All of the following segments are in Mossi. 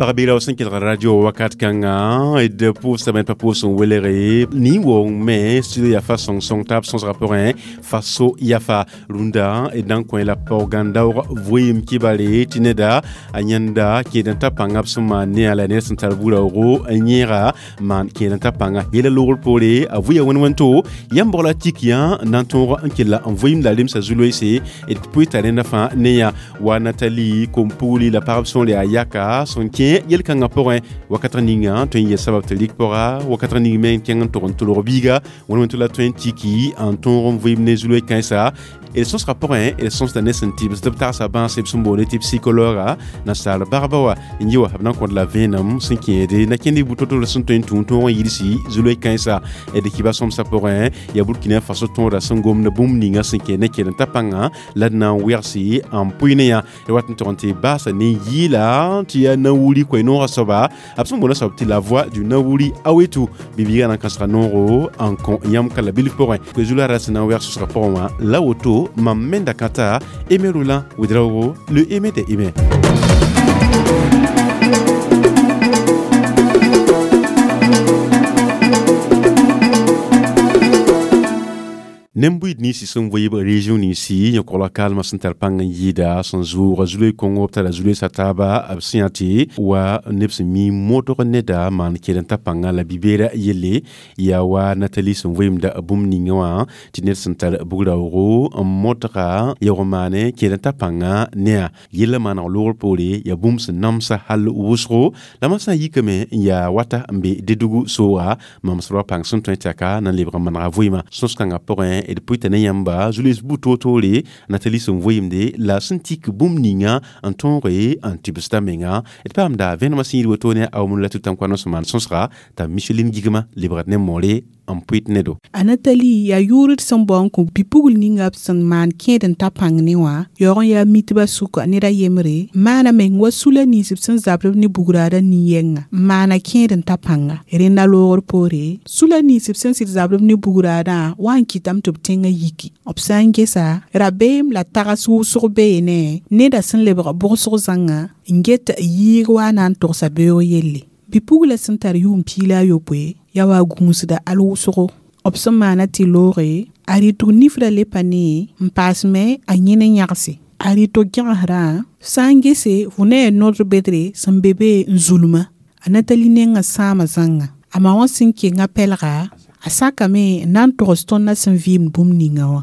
Pagã sẽn kelg radio wakat kãngã d pʋʋsdame pa pʋʋs n welge nin-woong me studio yaa fa sõng-sõng taab sõsgã pʋgẽ faso yafa rũndã d na n kõ la paoogãn-daoog vɩɩm kibare tɩ neda a yãnda kẽed n ta pãnga b sẽn maan ne a la ned sẽn tar bu-raoogo n yẽega maan kẽed n ta pãnga yɛla loogr poore a vʋɩ ya wẽn-wẽnto yãmb bog la tik yã n na n tõog n kella n vɩɩm la remsa zu-loeese d pʋɩ t'a rẽnda fãa ne yã wa Natali kom-pugli la pagb sõor yaa yaka sẽn kẽ yel-kãngã pʋgẽ wakat ninga tõe n yel sabab tɩ rɩk pʋga wakat ning me n kẽng n tog n tolg biiga wẽn-wẽnto la tõe n tiki n tõog n vɩɩm ne zu-loe kãensa d sõsga pʋgẽ d sõsda ne sẽn tɩbs tɩ b tagsa bãase b sẽn boonde tɩ psychologa nasaar bagba wa n yɩ wa b na n kõt la vẽenem sẽn kẽede na kẽnd bu-to-to sẽn tõe n tũu tõog n yidsi zu-loe kãensa d kiba sõmsã pʋgẽ yaa Burkina Faso tõoda sẽn gomd bũmb ninga sẽn kẽ ne kẽed n ta pãnga la d na n wegsi n pʋɩ ne yã d wat n tog n tɩ baasa ne yɩɩla tɩ yaa Nawuri koe-noogã soaba b sẽn boonda soab tɩ la voix du Nawuri Awetu bibiigã na n kãsga noogo n kõ yãmb ka la bilf pʋgẽ koe zu la ra sẽn na n wɛg sʋsgã pʋgẽ wã la woto mam menda kãta Aimé Roland Ouédraogo, le Aimé des Aimés. Nembuid ninsi sẽn vɩɩb région ninsi yẽ kogla kalmã sẽn tar pãng n yɩɩda sẽn zʋʋg zu-loe kõngo b tara zu-loeesã taaba b sẽn yaa tɩ wa neb sẽn mi modg neda maan kẽed n ta pãnga la bi-beerã yelle yaa wa Natali sẽn vɩɩmda bũmb ninga wã tɩ ned sẽn tar bug-raoogo n modga yaoog maane kẽed n ta pãnga ne-a yellã maaneg loogr poore yaa bũmb sẽn namsa hal wʋsgo la mam sã n yikame n yaa wata n be Dedugu sooga mam sẽd wa pãng sẽn tõe tɩ ka na n lebg n manega vɩɩmã sõs-kãngã pʋgẽ d pʋɩta ne yãmba zu-loees bu toor-toore Natali sẽn vɩɩmde la sẽn tik bũmb ninga n tõoge n tɩbsda menga d paamda vẽenemã sẽn yid woto ne a la tʋ-tãn-koan sẽn maan sõsga t'a Micheline Gigma lebgd ne moore n pʋɩt ne do. A Natali yaa yʋʋr d sẽn bao n kõ bi-pugl ninga b sẽn maan kẽed n ta pãng ne wã yaoog n yaa mitbã sʋka ned a yembre maana meng wa sula nins b sẽn zabd b ne bugraadã nin-yɛnga n maana kẽed n ta pãnga rẽnda loogr poore sula nins b sẽn sɩd zabd b ne bugraadã wa n kɩtame tɩ b tẽngã yiki b sã n gesa rabeem la tags wʋsg beene neda sẽn lebg bʋgsg zãnga n get yɩɩg wa na n togsa beoog yelle bi-pugla sẽn tar yʋʋm 16 yaa wa gũusda al wʋsgo b sẽn maana tɩ looge a rɩtg nifrã le pa ne n paasme a yẽ ne yãgse a rɩtg gẽgesrã sã n gese fo ne ya nodr bedre sẽn be be n zulmã a Natali nengã sãama zãnga a ma wã sẽn kenga pɛlga a sakame n na n togs tõndã sẽn vɩɩmd bũmb ninga wã.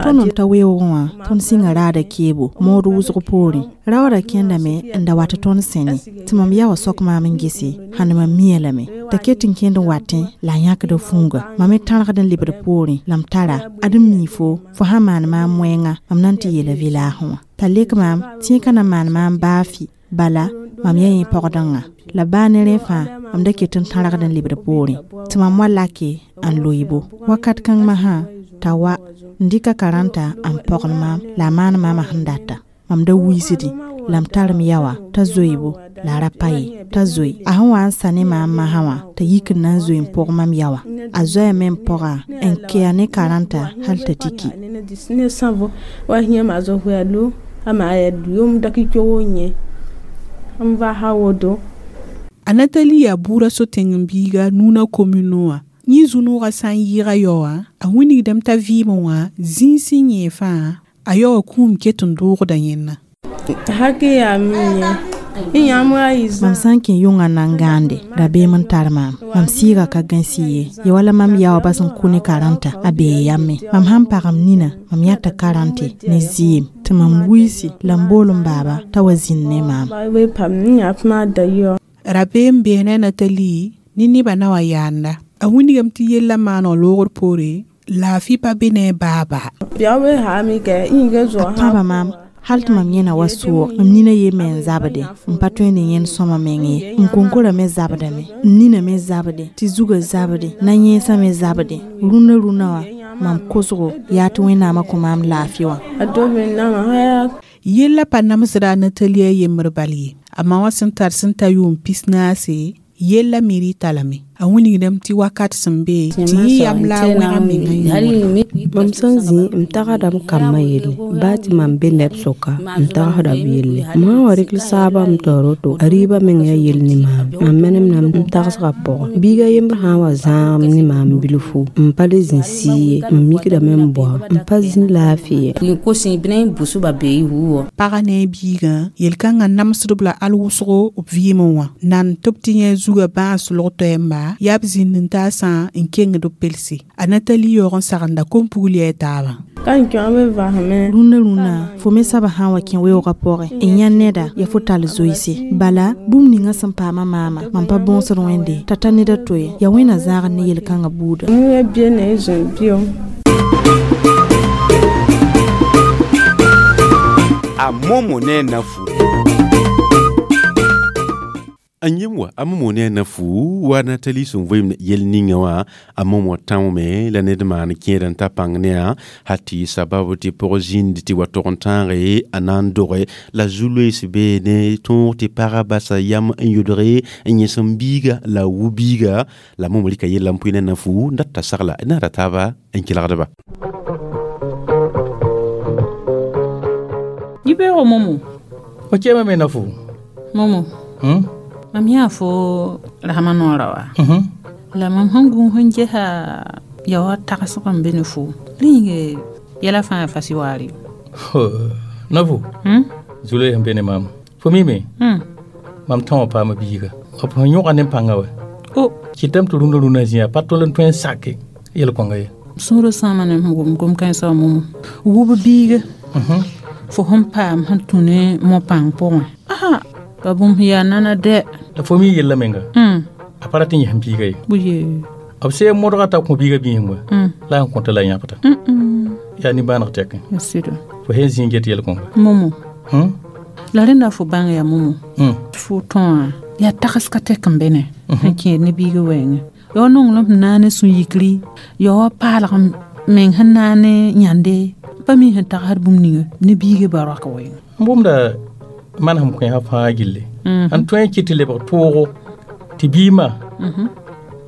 Tõnd n ta weoogẽ wã tõnd sɩnga raada keebo mood wʋsg poorẽ raoodã kẽndame n da wat tõnd sẽne tɩ mam yaoowã sok maam n gese hãn mam mia lame t'a ket n kẽnd n watẽ la a yãkda fũuga mam me tãrgd n lebd poorẽ la m tara ad n mii fo fo sã maan maam wẽnga mam na n tɩ yeela vɩlaasẽ wã t'a lek maam tẽeg na maan maam baa fɩ bala mam yaa yẽ pɔgdẽngã la baa ne rẽ fãa mam da ket n tãrgd n lebd poorẽ tɩ mam wa lake n loibo wakat kãng masã t'a wa n dɩka karãnta n pɔgl maam la a maan maamã sẽn data mam da wiisdẽ la m tar m yaoa t'a zoeebo la a ra pa ye t'a zoe a sẽn wa n sa ne maam masã wã t'a yik n na n zoe n pʋg mam yaoa a zoɛɛme n pɔga n kea ne karãnta hal t'a tiki. A Natali yaa buurã so-tẽng n biiga Nuna commune wã yẽ zu-noogã sã n yɩɩga yaoowã a wilgdame t'a vɩɩmẽ wã zĩig sẽn yẽ fãa a yaoowã kũum ket n doogda yẽnna. Mam sã n kẽ yʋngã na n gãande rabeem n tar maam mam sɩɩga ka gãsi ye ya wala mam yaoobã sẽn kʋ ne karãnta a bee yame mam sãn pagm nina mam yãta karãnte ne zɩɩm tɩ mam wiisi la m bool n baaba t'a wa zĩnd ne maam. Rabeem bee ne Natali ne nebã na wa yaanda a wilgame tɩ yellã maaneg loogr poore laafɩ pa be ne a baaba. A pãba maam hal tɩ mam yẽna wa soog mam nina ye me n zabde n pa tõe ne yẽnd sõma meng ye n konkora me zabdame n nina me zabde tɩ zugã zabde na-yẽesã me zabde rũnã rũnã wã mam kosgo yaa tɩ Wẽnnaamã kõ maam laafɩ wã. Yellã pa namsda a Natali a yembr bal ye a ma wã sẽn tar sẽn ta yʋʋm 44 yellã me rɩta lame. A wilgdame tɩ wakat sẽn be tɩ yẽ yam la a wẽg a menga yũure. Mam sẽn zĩ m tagsdame kambã yelle baa tɩ mam be neb sʋka m tagsda b yelle m sã n wa rɩk saabã m tao roto a rɩɩbã meng yaa yell ne maam mam menemdame n tagsgã pʋgẽ biiga yembr sã n wa zãagem ne maam bilfu m pa le zĩ sɩɩ ye m mikdame n boa m pa zĩ laafɩ ye. Pagã ne a biigã yel-kãngã namsdb la al wʋsgo b vɩɩmẽ wã nan tɩ b tɩ yẽ zugã bãas log toɛɛmba yaa b zĩnd n taasã n kengd b pelse a Natali yaoog n sagenda kom-pugl yaa taabã. Rũndã rũnã fo me saba sã n wa kẽ weoogã pʋgẽ n yã neda ya fo tall zoeese bala bũmb ninga sẽn paama maama mam pa bõosd wẽnde t'a ta ned a to ye yaa wẽnna zãagd ne yel-kãngã buuda. A momo ne nafu. N yem wa a momo ne a nafu wa Natali sẽn vɩɩm yel ninga wã a momo tãome la ned maan kẽed n ta pãng ne a hal tɩ sababu tɩ pʋg zĩnd tɩ wa tog n tãage a na n doge la zu-loees beene tõog tɩ pagã basa yam n yʋdge n yẽs n biiga la a wu biiga la momo rɩka yella n pʋɩ ne nafu n dat t'a sagla naara taaba n kelgdba. Yibeogo momo. Fo kẽema me nafu. Momo. Mam yã fo rasmã noorã wa la mam sẽn gũ sẽn gesa ya wa tagsg n be ne fo rẽ yĩnge yɛla fãa fas waare. Nafu. Zulẽ sẽn be ne maam fo mime mam tã wã paama biiga b sẽn yõga ne pãngã wa kɩtame tɩ rũndã rũnã zĩa pa tol n tõe n sake yel-kõnga ye. Sũurã sãama ne sẽn wʋm gom-kãensã wã momo wʋb biiga fo sẽn paam sẽn tũ ne mo-pãng pʋgẽ asa pa bũmb yaa nana dɛ. La fo mi yella menga a pa rat n yẽsem biiga ye b see modga t'a kõ biiga biisem wa la n kõta la yãbda yaa nimbãaneg tɛkẽ fo sẽn zĩ n get yel-kõnga momo la rẽnda fo bãng yaa momo fo tõa yaa tags ka tɛk n be ne sẽn kẽed ne biiga wɛɛngẽ ya wa nonglem sẽn naane sũ-yikri ya wa paalg meng sẽn naane yãnde pa mi sẽn tagsd bũmb ninga ne biiga ba roak wɛɛngẽ. N bũmda manesem kẽesã fãa gilli n tõe n kɩt tɩ lebg toogo tɩ biimã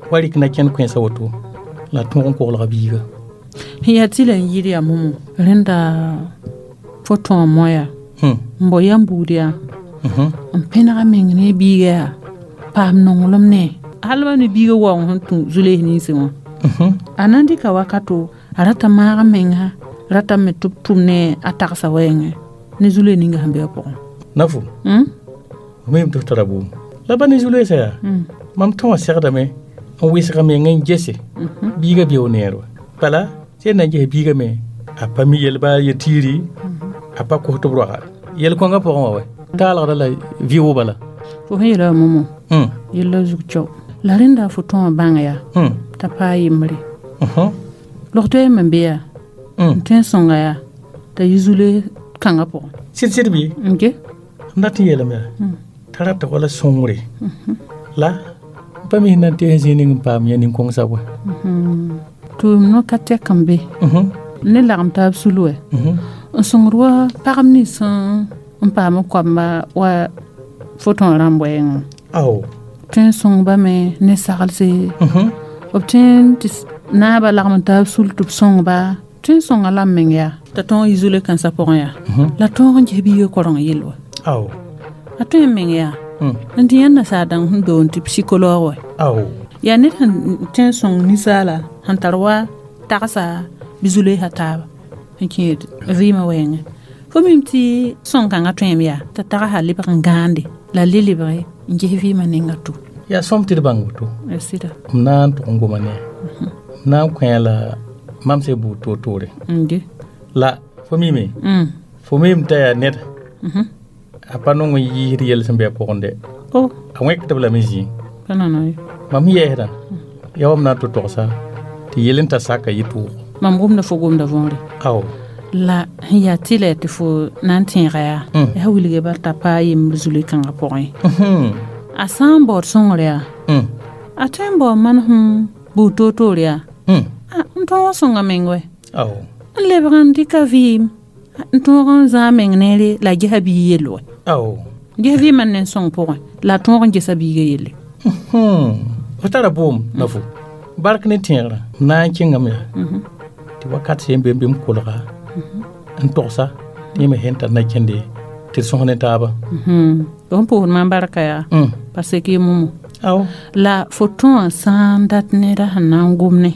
wa rɩk na kẽnd kẽensã woto la tõog n koglga biiga. Sẽn yaa tɩ la n yɩɩd yaa momo rẽnda fo tõa moya n bao yam buud yaa n pẽnega meng ne biiga yaa paam nonglem ne hal ba ne biiga waoong sẽn tũ zu-loees ninsẽ wã a na n dɩka wakato a rata maag menga ratame tɩ b tʋm ne a tagsa wɛɛngẽ ne zu-loees ninga sẽn be a pʋgẽ. Nafu f mim tɩ f tara bʋʋm la ba ne zu-loeesã yaa mam tã wã segdame n wɩsga meng n gese biiga beo neer wa bala sẽn na n ges biiga me a pa mi yel baa ye tiiri a pa kos tɩ b roaga yel-kõngã pʋgẽ wã wa taalgda la vɩʋ bala. Fo sẽn yeela wã momo yella zug cao la rẽnda fo tõa wã bãng yaa t'a paa yembre log toɛɛm n be yaa n tõe n sõnga yaa t'a yi zu-loees kãngã pʋgẽ. Sɩd-sɩd bɩ n ge m dat n yeelame yaa t'a rata wala sõngre la pa mi sẽn na n tees zĩig ning n paam yã nin-kõngsã wa. Tʋʋm no ka tɛk n be ne lagem taab sul wɛ n sõngd wa pagb nins n paam koamba wa fo tõa rãmb wɛɛngẽ ao tõe n sõngba me ne saglse b tõe n tɩ naabã lagem n taab sul tɩ b sõngba tõe n sõnga la m meng yaa t'a tõog yi zu-loe kãensã pʋgẽ yaa la tõog n ges biiga koreng yell wa ao a tõe n meng yaa n tɩ yãnd nasaar dãng sẽn doon tɩ psychologue wɛ ao yaa ned sẽn tõe n sõng ninsaala sẽn tar wa tagsa bɩ zu-loeesã taaba n kẽed vɩɩmã wɛɛngẽ fo mim tɩ sõng-kãngã tõem yaa t'a tagsa lebg n gãande la le lebge n ges vɩɩmã ninga to. Yaa sõm tɩ d bãng woto sɩda m na n tʋg n goma ne m na n kõ la mam se buud toor-toore la fo mime fo mim t'a yaa ned a pa nong n yiisd yɛl sẽn be a pʋgẽ dɛ a wẽkdb lame zĩig mam yɛɛsdã yaa wa m na n tɩ togsa tɩ yel n ta saka yɩ tʋʋgo. Mam gomda fo gomda võore ao la sẽn yaa tɩ la tɩ fo na n tẽega yaa yaa wilge bal t'a paa yembr zu-loe-kãngã pʋgẽ a sã n baood sõngr yaa a tõe n bao manesem buud toor-toor yaa n tõog n sõnga meng wɛ n lebg n dɩka vɩɩm n tõog n zãag meng neere la a gesa biig yell wɛ ao ges vɩɩmã ne n sõng pʋgẽ la a tõog n gesa biiga yelle. Fo tara boom na fo bark ne tẽegrã na n kẽngame yaa tɩ wakat sẽn be bɩ m kolga n togsa tɩ yẽ me sẽn tar na kẽnde tɩ d sõs ne taaba. Fo pʋʋsd maam barka yaa parce que momo aw la fo tõa sã n dat neda sẽn na n gom ne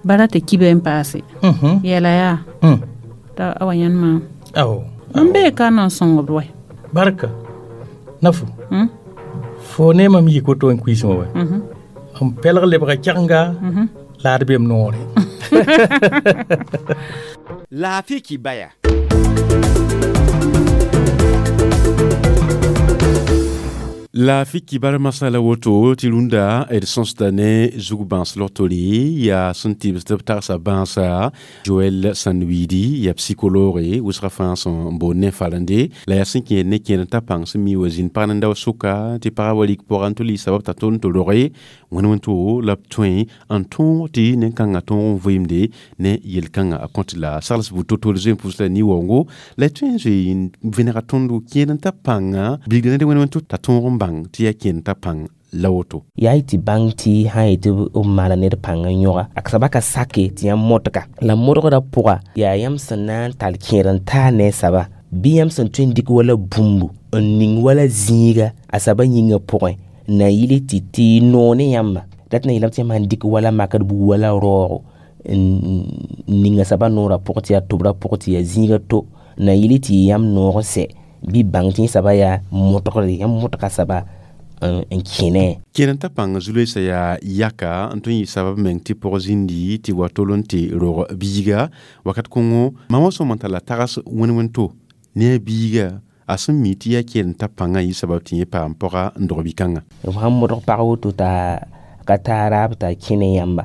bara tɩ kibe n paase yɛla yaa t'a a wa yãnd maam aw mam bee ka na n sõngd wɛ barka na fo fo ne mam yik woto n kuiismã wɛ n pɛlg lebga kɛgenga la ad bem noore. Laafɩ kibaya. La fi kibar masala woto tɩ rũndã d sõsda ne zug bãas logtore yaa sẽn tɩbsd b tagsa bãasa Joel Sanwidi yaa psychologue wʋsga fãa sẽn boond ne farende la yaa sẽn kẽed ne kẽed n ta pãng sẽn mi wa zĩnd pag nenda sʋka tɩ pagã wa rik pʋgã n tʋ lɩɩ sabab t'a tõnd tɩ roge wẽnd wẽn-to la b tõe n tõog tɩ nen-kãngã tõog n vɩɩmde ne yel-kãngã a kõt la sagls bud to-tore zoe n pʋs la ni-waoongo la y tõe n zoe n vẽnega tõndo kẽed n ta pãnga bilgda ned wẽnd wẽn-to t'a tõog n bãng tɩ yaa kẽed n ta pãng la woto. Yaa y tɩ bãng tɩ sã yetɩ b maana ned pãng n yõga a soaba ka sake tɩ yãmb modga la modgrã pʋga yaa yãmb sẽn na n tall kẽed n taa ne a soaba bɩ yãmb sẽn tõe n dɩk wala bũmbu n ning wala zĩiga a soaba yĩngã pʋgẽ na yɩl tɩ tɩ noog ne yãmba dat na yeelame tɩ yãmb sãn dɩk wala makd buud wala raoogo n ning a soaba noorã pʋgẽ tɩ yaa tʋbrã pʋgẽ tɩ yaa zĩiga to na yɩl tɩ yãmb noog n sɛ bɩ bãng tɩ yẽ soaba yaa modgre yãmb modga soaba n kẽne. Kẽed n ta pãng zu-loeesã yaa yaka n tõe n yɩ sabab meng tɩ pʋg zĩndi tɩ wa tol n tɩ rog biiga wakat kõngo mam wã sõm n talla tags wẽn-wẽn-to ne a biiga a sẽn mi tɩ yaa kẽed n ta pãngã yɩ sabab tɩ yẽ paam pɔga n dog bi-kãngã. B sãn modg pag woto t'a ka taa raab t'a kẽne yãmba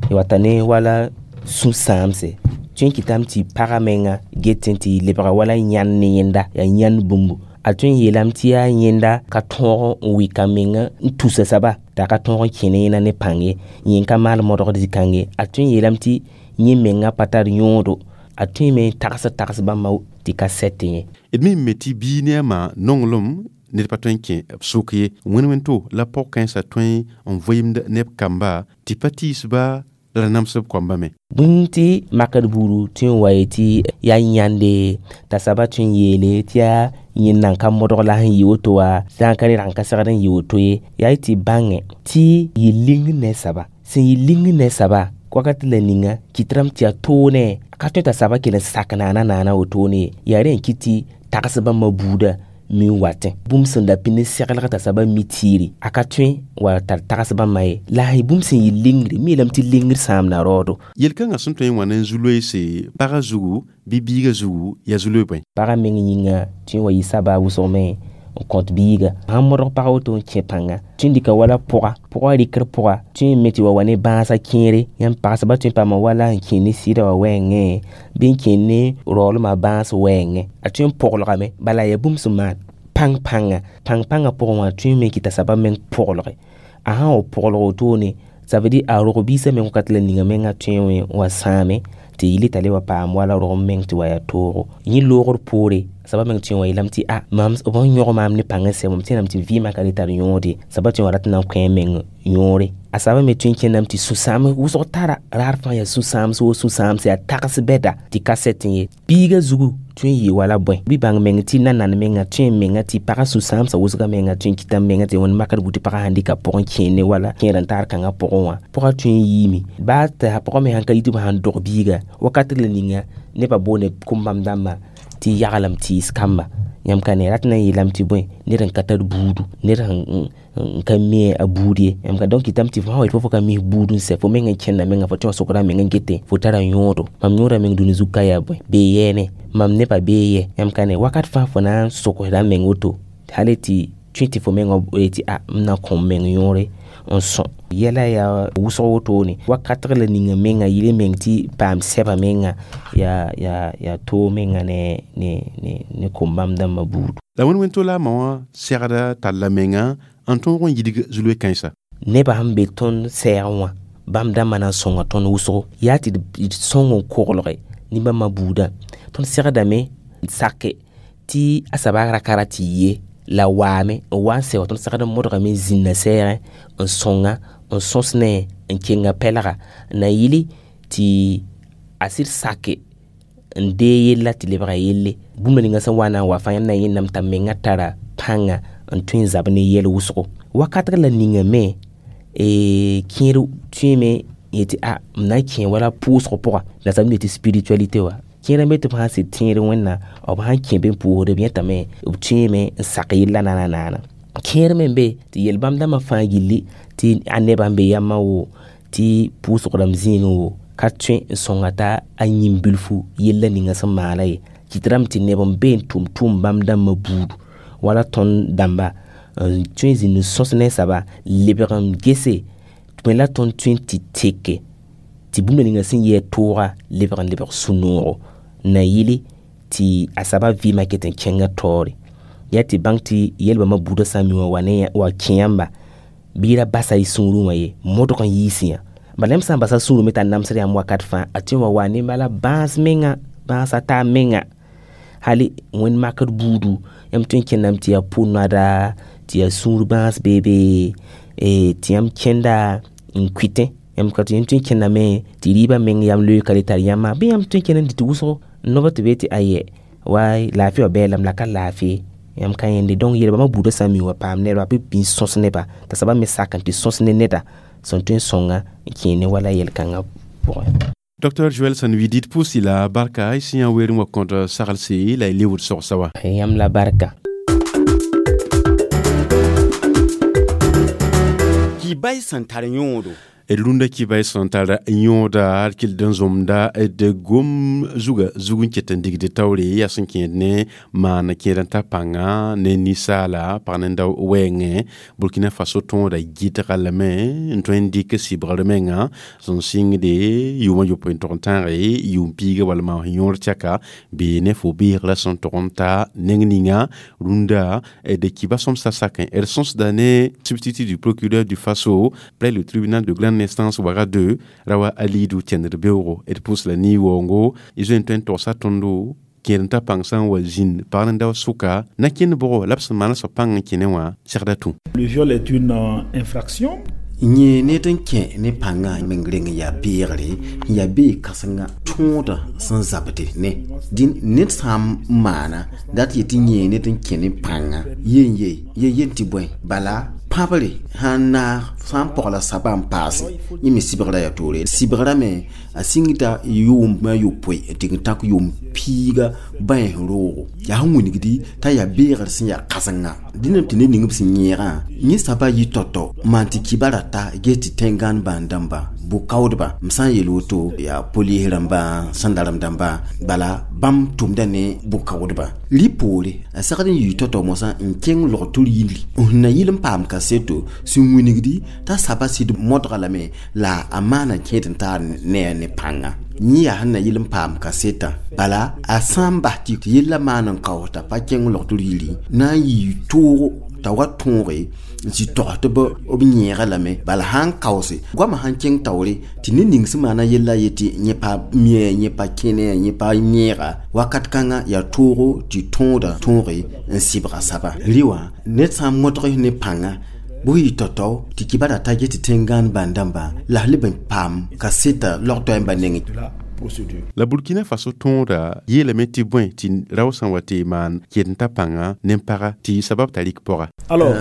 y wata ne wala sũ-sãamse tõe n kɩtame tɩ pagã menga get n tɩ lebga wala yãnd ne yẽnda yaa yãnd bũmbu a tõe n yeelame tɩ yaa yẽnda ka tõog n wɩka menga n tusa soaba t'a ka tõog n kẽ ne yẽna ne pãng ye yẽ ka maal modgd zĩ-kãng ye a tõe n yeelame tɩ yẽ menga pa tar yõodo a tõe me n tags bãmba tɩ ka sɛt yẽ. D me me tɩ bii ne a ma nonglem ned pa tõe n kẽ b sʋk ye wẽn-wẽn-to la pɔg-kãensã tõe n vɩɩmd neb kamba tɩ pa tiis-ba la namsb koamba me. Bũmb tɩ makd buudu tõe n wa ye tɩ yaa yãnde t'a soaba tõe n yeele tɩ yaa yẽnd nan ka modg la sẽn yɩ woto wã sã n ka rẽ rag n ka segd n yɩ woto ye yaa y tɩ bãngẽ tɩ yɩ ling ne soaba sẽn yɩ ling ne soaba wakat la ninga kɩtrame tɩ yaa toone ka tõe t'a soaba kell n sak naana naana wotone ye yaa rẽ n kɩt tɩ tags bãmba buudã mi n watẽ bũmb sẽn da pĩnd seglg t'a soaba mi tiiri a ka tõe wa tar tags bãmba ye la sã bũmb sẽn yɩ lingre mi yeelame tɩ lingr sãamda raoodo. Yel-kãngã sẽn tõe n wã ne zu-loeese pagã zugu bɩ biigã zugu yaa zu-loe bõe. Pagã meng yĩnga tõe n wa yɩ saba wʋsg me n kõt biiga sãn modg pag woto n kẽ pãnga tõe n dɩka wala pʋga pʋga rɩkr pʋga tõe n me tɩ wa wa ne bãasã kẽere yãmb pagsba tõe n paama wala n kẽ ne sɩdã wã wɛɛngẽ bɩ n kẽ ne raoolmã bãas wɛɛngẽ a tõe n pʋglgame bala yaa bũmb sẽn maan pãng-pãnga pãng-pãngã pʋgẽ wã tõe n me kɩta soaba meng pʋglge a sã n wa pʋglg wotone ça veut dire a rog biisã meng wakat la ninga menga tõe n wa sãame tɩ yɩl t'a le wa paam wala rog meng tɩ wa yaa toogo yẽ loogr poore soaba meng tõe n wa yeelame tɩ a mam b sẽn yõg maam ne pãng n sɛ mam tẽedame tɩ vɩɩmã ka le tar yõode soaba tõe n wa rat n na n kõ a meng yõore a soaba me tõe n kẽndame tɩ sũ-sãam wʋsg tara raar fãa yaa sũ-sãams wo sũ-sãams yaa tags bɛda tɩ ka sɛt ye biigã zugu tõe n yɩ wala bõe bɩ bãng meng tɩ nanand menga tõe n menga tɩ pagã sũ-sãamsã wʋsgã menga tõe n kɩta menga tɩ wẽnd makd buud tɩ pagã sãn dɩka pʋgẽ kẽer ne wala kẽer n taar kãngã pʋgẽ wã pʋgã tõe n yiime baa tɩ pʋgã me sãn ka yit b sãn dog biiga wakat la ninga nebã boonde kom-bãmb dãmbã tɩ yaglem tɩɩs kamba yãmb ka ne rat na n yeelame tɩ bõe ned n ka tar buudu ned n ka mi a buud ye yãmb ka donc kɩtame tɩ fo sã wa yet fo ka mis buud n sɛ fo meng n kẽnda menga fo tõe n sokda meng n gete fo tara yõodo mam yõoda meng dũni zug ka yaa bõe bee yɛɛne mam nebã bee yɛ yãmb ka ne wakat fãa fo na n sogsda meng woto hali tɩ tõe tɩ fo mengã tɩ a m na kõ m meng yõore n sõ yɛla yaa wʋsg wotone wakatg la ninga menga yɩl meng tɩ paam sɛba menga yaa toog menga ne kom-bãmb dãmbã buudu. La wẽn-wẽn-to la a ma wã segda talla menga n tõog n yidg zu-loe kãensa. Nebã sẽn be tõnd sɛɛgẽ wã bãmb dãmbã na n sõnga tõnd wʋsgo yaa tɩ d sõng n koglge ne bãmbã buudã tõnd segdame n sake tɩ a soaba ra ka rat tɩ ye La waame n wa n sɛ wa tõnd segd n modgame n zĩnna sɛɛgẽ n sõnga n sõs ne n kenga pɛlga na yɩle tɩ a sɩd sake n dee yella tɩ lebga yelle bũmb ninga sẽn wa na n wa fãa yãmb na n yẽnname t'a menga tara pãnga n tõe n zab ne yɛl wʋsgo wakatg la ninga me kẽer tõeme yetɩ a m na n kẽ wala pʋʋsg pʋga la sab yetɩ spiritualité wa kẽer n be tɩ b sãn sɩd tẽed wẽnna b sãn kẽ be n pʋʋsd b yẽtame b tõeme n sak yella naana naana kẽer me n be tɩ yel-bãmb dãmbã fãa gilli tɩ a nebã n be yamã wo tɩ pʋʋsg rãmb zĩigẽ wo ka tõe n sõnga t'a a yĩm bilfu yella ninga sẽn maala ye kɩt rame tɩ neb n be n tʋm tʋʋm bãmb dãmbã buudu wala tõnd dãmba n tõe n zĩnd n sõs ne soaba lebg n gese me la tõnd tõe n tɩ teke tɩ bũmb ninga sẽn yɩ a tooga lebg n lebg sũ-noogo na yɩle tɩ a soaba vɩɩmã ket n kẽnga taoore yaa tɩ bãng tɩ yel-bãmbã buudã sã n mi wã wa ne wa kẽ yãmba bɩ ra basa y sũurẽ wã ye modg n yiis yã bala yãmb sã n basa sũurẽ me t'a namsd yãmb wakat fãa a tõe n wa wa ne bala bãas menga bãasa taa menga hali wẽnd makd buudu yãmb tõe n kẽndame tɩ yaa pʋ-noada tɩ yaa sũur bãas beebe tɩ yãmb kẽnda n kʋɩtẽ yãmb ka tɩ yãmb tõe n kẽndame tɩ rɩɩbã meng yam loeeka le tar yãmba bɩ yãmb tõe n kẽnd n dɩ tɩ wʋsgo noba tɩ be tɩ ayɛ wa laafɩ wã bɛɛ lame la ka laafɩ yãmb ka yẽnde donc yel-bãmbã buudã sã n mi wa paam nebã bɩ bĩn sõs neba t'a soaba me sak n tɩ sõs ne neda sẽn tõe n sõnga n kẽe ne wala yel-kãngã pʋgẽ. Dr Joël Sanvidit pusi la barka isi ya werin wa konta sagalse la liwud sogsawa. Yam la barka. Ki bay santar yõodo. D rũndã kɩba y sẽn tar yõoda d kell n zõmda d gom zuga zug n ket n digd taoore yaa sẽn kẽed ne maan kẽed n ta pãnga ne ninsaala pag nenda wɛɛngẽ Burkina Faso tõoda gɩdga lame n tõe n dɩk sɩbgr menga sẽn sɩngde yʋʋmã yopoe n tog n tãage yʋʋm piiga wala maan yõor tɛka bee ne fo beegrã sẽn tog n ta neng ninga rũndã d kɩba sõmsa sakẽ d sõsda ne substitut du procureur du Faso près le tribunal de grande instance Ouaga 2 rawa alidu tẽndr beoogo d pʋs la nii-waoongo y zoe n tõe n togsa tõndo kẽed n ta pãng sã n wa zĩnd pag nenda sʋka na kẽnd bʋgo la b sẽn maan soab pãng n kẽne wã segda tũ. Le viol est une infraction. Yẽ ned n kẽ ne pãngã meng reng n yaa beegre n yaa bee kãsenga tõodã sẽn zabde ne dĩn ned sã n maana dat yetɩ yẽ ned n kẽ ne pãnga yen ye ye yen tɩ bõe bala pãbre sãn naag sã n pɔgla saba n paase yẽ me sɩbgrã yaa toore sɩbgrã me a sĩngda yʋʋmã yopoe n tɩg n tãk yʋʋm piiga bães roogo yaa sẽn wilgdi t'a yaa beegr sẽn yaa kãsenga dẽnam tɩ ned ning b sẽn yẽegã yẽ saba yɩ tɔtɔ maan tɩ kibã rata ge tɩ tẽngãn bãan dãmba bʋ-kaoodba m sã n yel woto yaa polis rãmbã sãndarem dãmba bala bãmb tʋmda ne bʋ-kaoodba rɩ poore a segd n yɩ tɔtɔ mosã n kẽng log-tʋr yilli n na yɩl n paam kaseto sẽn wilgdi t'a saba sɩd modga lame la a maana kẽed n taar ne a ne pãnga yẽ yaa sẽn na yɩl n paam kasetã bala a sã n bas tɩ yella maan n kaoosda pa kẽng log-tʋr yilli na n yɩ toogo t'a wa tõoge n sɩ togs tɩ b yẽega lame bala sã n kaoose goamã sãn kẽng taoore tɩ ned ning sẽn maana yella yetɩ yẽ pa mia yẽ pa kẽne yẽ pa yẽega wakat kãngã yaa toogo tɩ tõoda tõoge n sɩbga saba rɩ wã ned sã n modg ne pãnga bʋ yɩ tao-tao tɩ kɩba rata get tɩ tẽngãan bãn-dãmba la f leb n paam kaseta log-toɛɛmbã nengẽ. La Burkina Faso tõoda yeelame tɩ bõe tɩ rao sã n wa tɩ maan kẽed n ta pãnga nen-paga tɩ sabab t'a rɩk pɔga.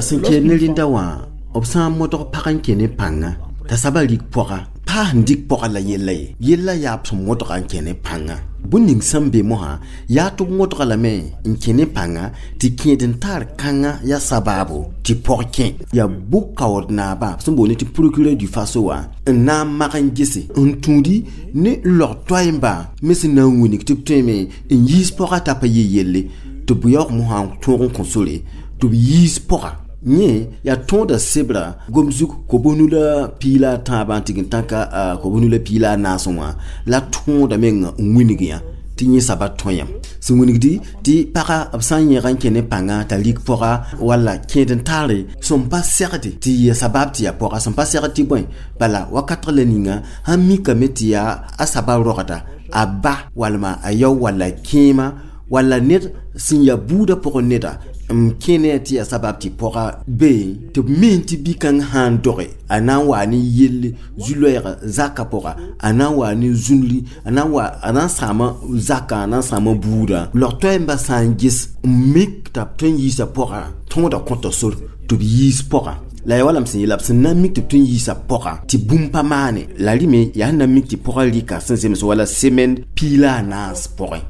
Sẽn kẽed ne rĩndã wã b sã n modg pag n kẽ ne pãnga t'a saba rik pɔga pa sẽn dɩk pɔga la yella ye yella yaa b sẽn modga n kẽ ne pãnga bũn ning sẽn be mosã yaa tɩ b modga lame n kẽ ne pãnga tɩ kẽed n taar kãngã yaa sabaabo tɩ pɔg kẽ yaa bʋ-kaood naabã sẽn boond tɩ procureur du Faso wã n na n mag n gese n tũudi ne log toɛɛmbã me sẽn na n wilg tɩ b tõeme n yiis pɔga t'a pa yɩ yelle tɩ b yaoog mosã n tõog n kõ sore tɩ b yiis pɔga yẽ yaa tõoda sebra gom zug kobonu la piila tãabã n tɩg n tãka kobonu la piila a naasẽ wã la tõoda meng n wilg yã tɩ yẽ saba tõe yam sẽn wilgdi tɩ paga b sã n yẽg n kẽ ne pãnga t'a rik pɔga walla kẽed n taare sẽn pa segde tɩ ya sabab tɩ yaa pɔga sẽn pa segd tɩ bõe bala wakatg la ninga sãn mikame tɩ yaa a saba rogda a ba walma a yao walla kẽema Walla ned sẽn ya buudã pʋgẽ neda n kẽ ne tɩ yaa sabab tɩ pɔga be tɩ b mi tɩ bi-kãng sã n doge a na n waa ne yelle zu-loɛɛga zakã pʋga a na n waa ne zũnri a na n wa a na n sãama zakã a na n sãama buudã log toɛɛmbã sã n ges n mik t'a b tõe n yiisa pɔga tõoda kõta sor tɩ b yiis pɔga la yaa wala m sẽn yeela b sẽn na n mik tɩ b tõe n yiisa pɔga tɩ bũmb pa maane la rɩ me yaa sẽn na n mik tɩ pɔga rɩka sẽn zems wala semaine piig la a naas pʋgẽ.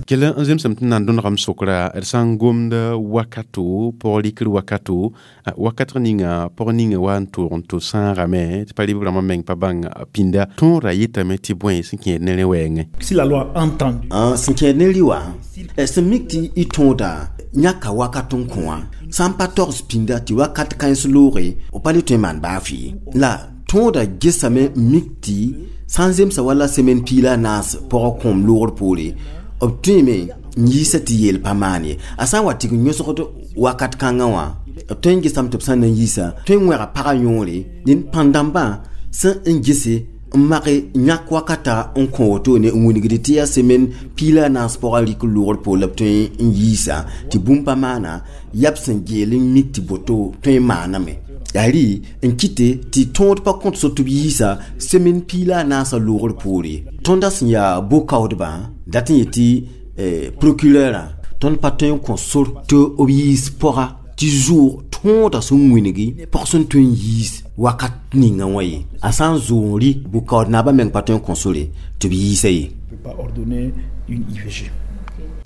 Kell n zemsame tɩ na n dõnegame sokra d sã n gomd wakato pɔg rɩkr wakato wakat ninga pɔg ninga wa n toog n to sãagame tɩ pa rɩb rãmbã meng pa bãng pĩnda tõora yetame tɩ bõe sẽn kẽed ne rẽ wɛɛngẽ. Si la loi entendu. Sẽn kẽed ne rɩ wã sẽn mik tɩ y tõoda yãka wakat n kõ wã sã n pa togs pĩnda tɩ wakat kãens looge b pa le tõe n maan baa fɩ la tõoda gesame n mik tɩ sã n zemsa wala semaine piig la a naas pɔgã kõom loogr poore b tõeme n yiisa tɩ yeel pa maan ye a sã n wa tɩg n yõsgd wakat kãngã wã b tõe n gesame tɩ b sã n na n yiisa tõe n wẽga pagã yõore dẽnd pãn-dãmbã sẽn n gese n mage yãk wakata n kõ wotone n wilgd tɩ yaa semaine piig la a naas pɔgã rɩk loogr poor la b tõe n yiisa tɩ bũmb pa maana yaa b sẽn geel n mik tɩ boto tõe n maaname yaa rɩ n kɩte tɩ tõod pa kõt so tɩ b yiisa semaine piig la a naasã loogr poore tõnda sẽn yaa bo-kaoodbã dat n yetɩ procureurã tõnd pa tõe n kõ sor tɩ b yiis pɔga tɩ zʋʋg tõoda sẽn wilgi pɔg sẽn tõe n yiis wakat ninga wã ye a sã n zʋʋg n rɩ bʋ-kaood naabã meng pa tõe n kõ sore tɩ b yiisa ye. Pas ordonner une IVG.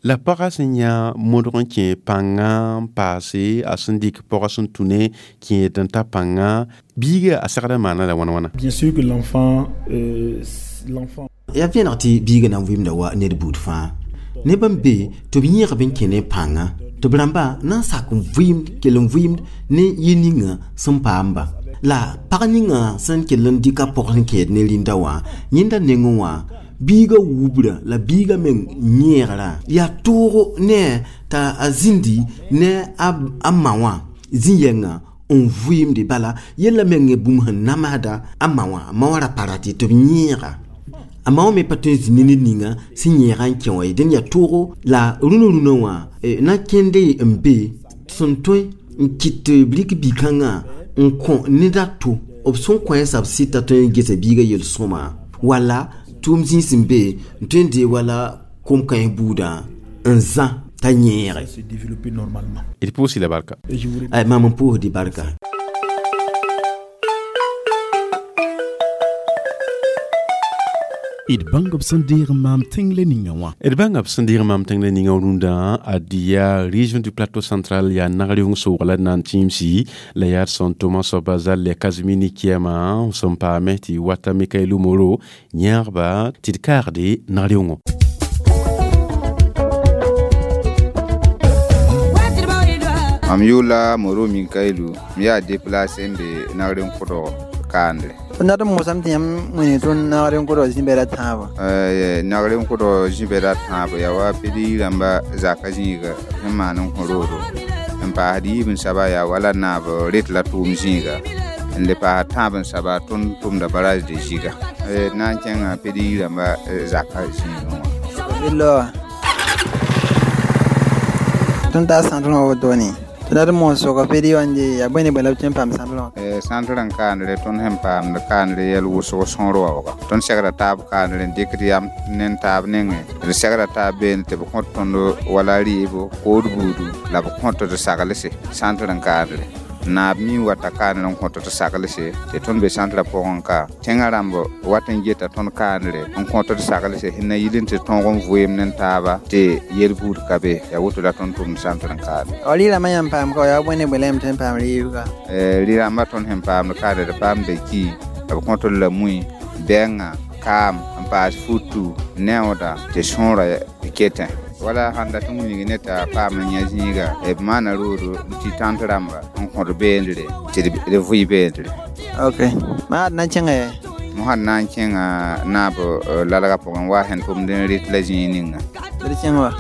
La pɔga sẽn yã modg n kẽ pãngã n paase a sẽn dɩk pɔgã sẽn tũ ne kẽed n ta pãngã biiga a segda maana la wãna wãna. Bien sûr que l'enfant l'enfant yaa vẽeneg tɩ biigã na n vɩɩmda wa ned buud fãa neb n be tɩ b yẽgb n kẽ ne pãngã tɩ b rãmba na n sak n vɩɩmd kell n vɩɩmd ne yel ninga sẽn paamba la pag ninga sẽn kell n dɩka pɔg sẽn kẽed ne rĩnda wã yẽnda nengẽ wã biiga wubra la biiga meng yẽegra yaa toogo ne t'a a zĩndi ne a ma wã zĩ-yɛngã n vɩɩmde bala yella meng bũmb sẽn namsda a ma wã a ma wã ra pa rat tɩ b yẽega a ma wã me pa tõe n zĩ ne ned ninga sẽn yẽega n kẽ wã ye dẽnd yaa toogo la rũnã rũnã wã na kẽnde n be sẽn tõe n kɩt tɩ b rɩk bi-kãngã n kõ ned a to b sẽn kõ b sɩta tõe n gesa biigã yel-sõma wala tʋʋm zĩis n be n tõe n dee wala kom-kãens buudã n zã t'a yẽege. Se développer normalement. D pʋʋs la barka. Et je vous Ay, mam n pʋʋsd barka. D bãng b sẽn deeg n maam tẽng la ninga wã. D bãnga b sẽn deeg n maam tẽng la ninga rũndã ad yaa région du Plateau Central yaa nagr soog la d na n tĩimsi la yaa d sẽn tʋma soaba zal la Casimini Kiama sẽn paame tɩ wata Mikaelu Moro yãagba tɩ d kaagde nagr yʋngo. Mam yʋʋla Moro Minkailu m yaa déplacé n be nagr n kʋdg kaandre. Tõnd dat n mosame tɩ yãmb wẽne tõnd nagr n kʋdg zĩ-bɛda tãabo. Nagr n kʋdg zĩ-bɛda tãabo yaa wa pd rãmba zaka zĩiga sẽn maan n kõ roodo n paasd yiib n saba yaa wala naab ret la tʋʋm zĩiga n le paasd tãab n saba tõnd tʋmda barrage de Ziga d na n kẽnga pd rãmba zaka zĩigẽ wã. Bɩ tõnd taa sãntr wã wotone tõnd dat n moos sʋka pd wã n de yaa bõe ne bõe la b tõe n paam sãntr wã. Sãntr n kaandre tõnd sẽn paamd kaandre yɛl wʋsg sõor waooga tõnd segra taab kaandre n dɩkd yam ne taab nengẽ d segra taab beene tɩ b kõt tõnd wala rɩɩbo kood buudu la b kõt d saglse sãntr n kaandre naab mi wata kaandr n kõt d saglse tɩ tõnd be sãntrã pʋgẽ ka tẽngã rãmb wat n geta tõnd kaandre n kõt d saglse sẽn na yil n tɩ tõog n vʋeem ne taaba tɩ yel-buud ka be yaa woto la tõnd tʋmd sãntr n kaandre. Rɩ-rãmbã yãmb paam ka yaa bõe ne bõe la yãmb tõe n paam rɩɩb ka. Rɩ-rãmbã tõnd sẽn paamd kaandre d paamda ki b kõt d la mui bɛnga kaam n paas futu neooda tɩ sõora ketẽ wala sãn dat n wilg ne t'a paam n yã zĩiga b maana roodo n tɩ tãnt rãmba n kõt beendre tɩ d vʋɩ beendre. Ok maa d na n kẽngɛ. Mosã d na n kẽnga naab lalgã pʋgẽ wa sẽn tʋmd n rɩt la zĩig ninga. D kẽng wa.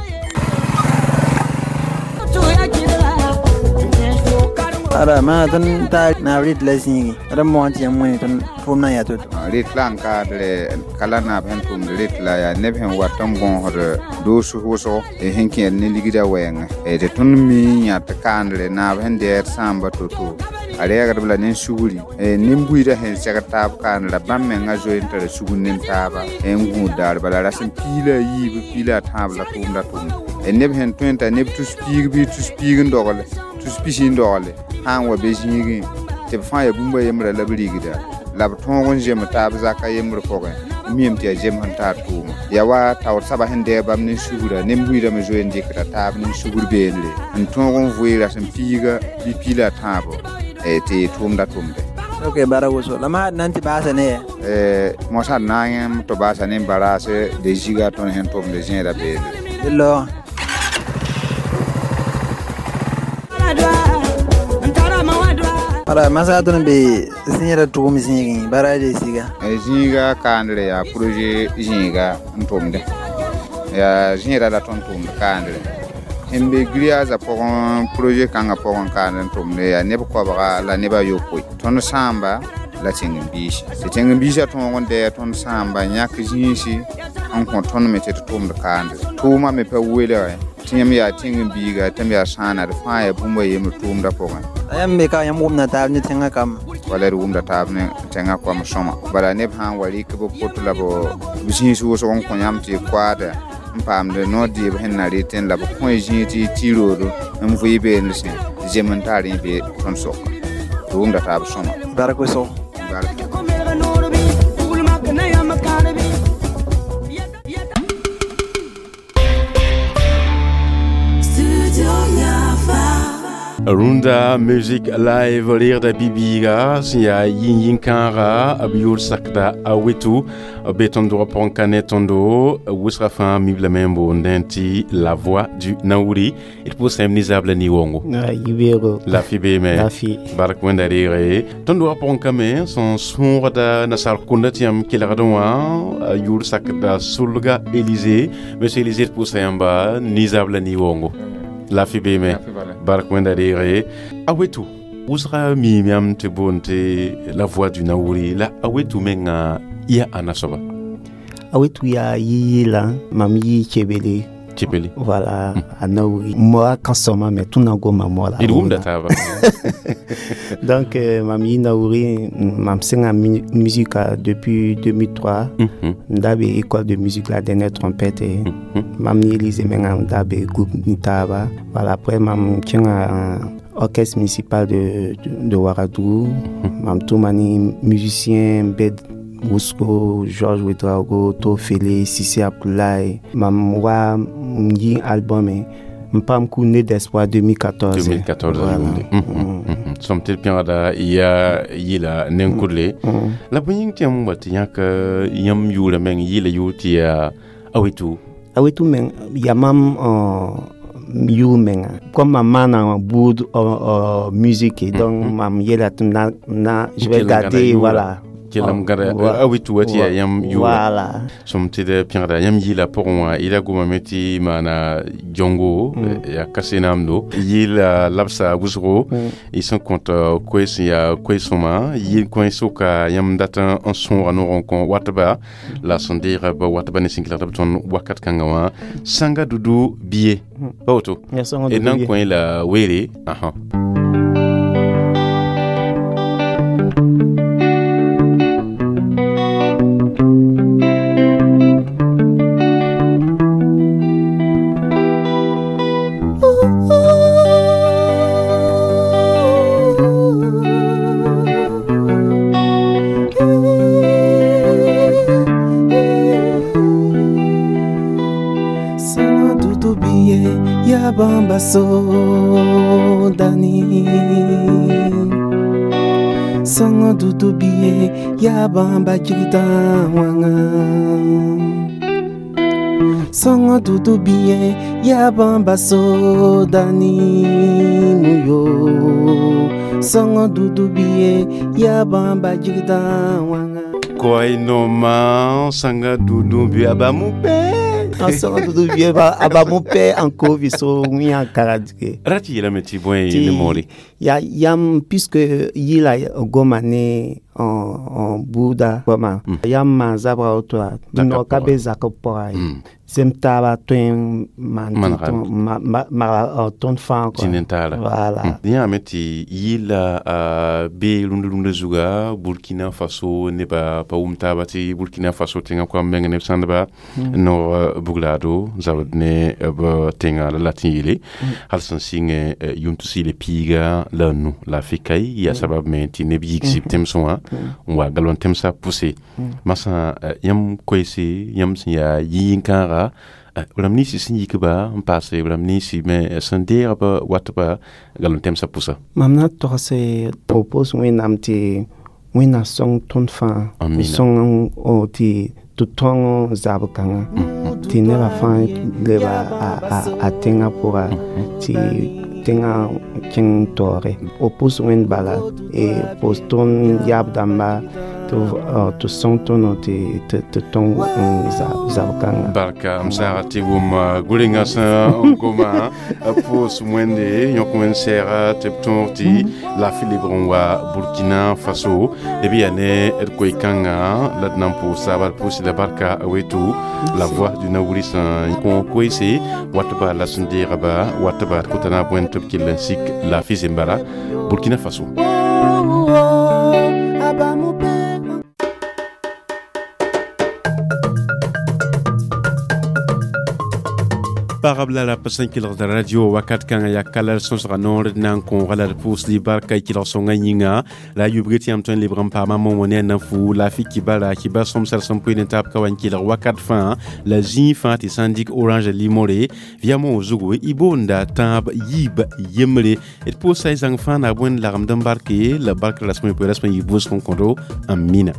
Ara ma tõnd taa naab rɩt la zĩigi d n moog tɩ yãmb wẽne tõnd tʋʋmdã yaa to-to. Rɩt la n kaadre ka la naab sẽn tʋmd rɩt la yaa neb sẽn wat n bõosd doos wʋsgo sẽn kẽed ne ligdã wɛɛngẽ tɩ tõnd mi n yã tɩ kaandre naab sẽn dɛɛd sãamba to-to a reegdb la ne sugri nin-buiidã sẽn segd taab kaandra bãmb menga zoe n tara sugr ne taaba n gũud daar bala rasem piig la a yiib piig la a tãab la tʋʋmda tʋmda neb sẽn tõe n t'a neb tus piig bɩ tus piig n dogle tus pisi n dogle sã n wa be zĩigẽ tɩ b fãa yaa bũmb a yembra la b rigda la b tõog n zem taab zaka yembr pʋgẽ n miame tɩ yaa zem sẽn tar tʋʋma yaa wa taoor soaba sẽn dɛɛg bãmb ne sugra nin-buiidã me zoe n dɩkda taab ne sugr beene n tõog n vʋɩ rasem piiga bɩ piig la a tãabo tɩ tʋʋmda tʋmde. Ok, bara woso. La ma nan tɩ baasa ne ya? Mosã d na n yẽm tɩ baasa ne baraase de ziga tõnd sẽn tʋmd zẽeda beene. D laoogã. Bara masa tõnd be zẽeda tʋgem zĩigẽ bara de siga. Zĩiga kaandre yaa projet zĩiga n tʋmdẽ. Yaa zẽeda la tõnd tʋmd kaandre. Sẽn be grillage pʋgẽ projet kãngã pʋgẽ kaand n tʋmde yaa neb koabga la neb a yopoe. Tõnd sãamba la tẽng-n-biisi. Tɩ tẽng-n-biisã tõog n dɛɛ tõnd sãamba n yãk zĩisi n kõ tõnd me tɩ d tʋmd kaandre. Tʋʋmã me pa welge tɩ yãmb yaa tẽng-n-biiga tɩ m yaa sãana d fãa yaa bũmb a yembr tʋʋmdã pʋgẽ. La yãmb me ka yãmb wʋmda taab ne tẽngã kambã? Wala d wʋmda taab ne tẽngã koam sõma. Bala neb sã n wa rɩk b pot la b zĩis wʋsg n kõ yãmb tɩ y koaada n paamd noor dɩɩb sẽn na rɩtẽ la b kõ y zĩig tɩ y tɩ roodo n vʋɩ beene sẽ zem n tar yẽ be tõnd sʋka. D wʋmda taab sõma. Bark wʋsgo. Bark. Runda Music Live reegda bi-biiga sẽn yaa yĩn-yĩn-kãaga b yʋʋr sakda a wetu be tõnd dogã pʋgẽ ka ne tõndo wʋsga fãa mib lame n boondẽ tɩ La Voix du Naouri. D pʋʋsame nizaab la ni-wongo. Yibeoogo. Lafi beeme. Lafi. Bark wẽnda reege. Tõnd dogã pʋgẽ kame sẽn sõogda nasaar kũnda tɩ yãmb kelgdẽ wã yʋʋr sakda Sulga Élysée. Monsieur Élysée d pʋʋsa yãmba nizaab la ni-wongo. Lafi beeme. Bark wẽnda reege. A wetu wʋsga miime yãmb tɩ boond tɩ La Voix du Naouri la a wetu menga ya ãna soaba? A wetu yaa yɩ-yɩla mam yɩ Chebele. Chebele. Voilà, a Naouri. Moi, kansõma me tõnd na goma moala. D wʋmda taaba. Donc, mam yɩ Naouri, mam sẽnga musique depuis 2003. M da be école de musique la dernière trompette. Mam ne Élysée menga m da be groupe ni taaba. Voilà, après mam kẽnga orchestre municipal de Ouagadougou. Mam tʋma ne musicien bed Wusco, Georges Ouedraogo, Tofele, Sissi Abdoulaye. Mam wa m yɩ album m paam ku Né d'espoir 2014. 2014. Voilà. Sõm tɩ d pẽgda yaa yɩla nen-kudle. La bõe yĩng tɩ yãmb wa tɩ yãk yãmb yʋʋrã meng yɩla yʋʋr tɩ yaa Awetu? Awetu meng yaa mam yʋʋr menga. Comme mam maana buud musique, donc mam yeela tɩ na je vais garder, voilà. Kelem gãda a wetu wa tɩ yaa yãmb yʋʋra. Voilà. Sõm tɩ d pẽgda yãmb yɩla pʋgẽ wã yɩla gomame tɩ maana jongo yaa kasenaamdo yɩla labsa wʋsgo y sẽn kõt koe sẽn yaa koe-sõma yɩl kõ soka yãmb dat n sõoga noog n kõ watba la sẽn deega b watba ne sẽn kelgd b tõnd wakat kãngã wã Sanga Dudu bie pa woto d na n kõ la weere ãsã. Bamba sodani Songo dudu biye ya bamba jigida wanga Songo dudu biye ya bamba sodani muyo Songo dudu biye ya bamba jigida wanga Koy noma sanga dudu biye abamupe. N sõng tɩ d vɩ a ba mo pɛ n ko so wĩa karadge. Ra tɩ yeelame tɩ bõe ne moore? Ya yam, puisque yɩla goma ne n buuda goama, yam maan zabra woto no ka be zak b pʋga ye, sem taaba tõe n maan maga tõnd fãa. Voilà. Yãame tɩ yɩla be rũnd rũndã zuga Burkina Faso nebã pa wʋm taaba tɩ Burkina Faso tẽngã koam meng neb sãndba noog buglaado zabd ne b tẽngã la la tɩ n yeele hal sẽn sɩng yʋm tus piiga la nu la fɩ yaa sabab me tɩ neb yigsɩ b tẽmsẽ wã n wa galon tẽmsã pʋse masã. Yãmb koeese, yãmb sẽn yaa yɩ-yĩn-kãaga, rãmb ninsi sẽn yik-ba n paase, rãmb ninsi me sẽn deeg b watba galon tẽmsã pʋsa? Mam na togse propos Wẽnnaam tɩ Wẽnnaam sõng tõnd fãa, sõng tɩ tɩ tõng zab kãngã tɩ nebã fãa leba a tẽngã pʋga, tɩ tẽngã kẽng taoore. O pʋs Wẽnd bala, pʋs tõnd yaab dãmba tɩ sõng tõnd tɩ tõng zab kãngã. Barka m saaga tɩ wʋm gʋrengã sẽn goma pʋʋs Wẽnde, yõk wẽnd sɛɛga tɩ b tõog tɩ laafɩ lebg n wa Burkina Faso d b yaa ne d koe-kãngã la d na n pʋʋs taaba. D pʋʋsɩ la barka wetu, la voix du Naouri sẽn kõ koeese watba la sẽn deegba watba d kota naab wẽnd tɩ b kell n sik laafɩ zembara Burkina Faso. Pagb la rap sẽn kelgd radio wakat kãngã yaa kala sõsga noor d na n kõoga la d pʋʋsd barka kelg sõngã yĩnga la a yubg tɩ yãmb tõe n lebg n paama momo ne a na-fu la fɩ kibara kiba sõmsd sẽn poe ne taab ka wa n kelg wakat fãa la zĩig fãa tɩ sã n dɩk orange limore vɩa zugu y boonda tãab yiib yembre. D pʋʋsa y zãng fãa na bõe n lagmd n barke la bark rasmẽ poe rasmẽ yɩ vʋʋsg n kõdo. Amina.